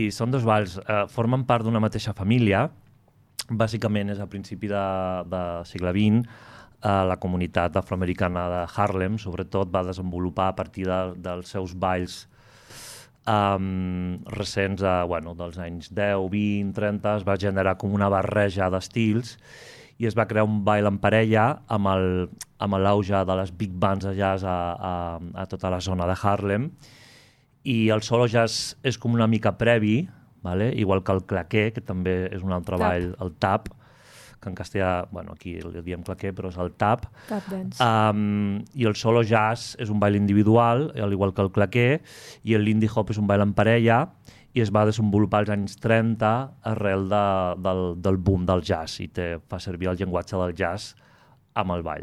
I són dos balls, formen part d'una mateixa família. Bàsicament és a principi de segle XX. La comunitat afroamericana de Harlem, sobretot, va desenvolupar a partir dels seus balls recents, dels anys 10, 20, 30, es va generar com una barreja d'estils i es va crear un ball en parella amb l'auge de les big bands de jazz a tota la zona de Harlem. I el solo jazz és com una mica previ, vale? Igual que el claqué, que també és un altre ball, el tap, que en castellà, aquí li diem claqué, però és el tap. Tap dance. I el solo jazz és un ball individual, al igual que el claqué, i el lindy hop és un ball en parella, i es va desenvolupar als anys 30 arrel del boom del jazz, i fa servir el llenguatge del jazz amb el ball.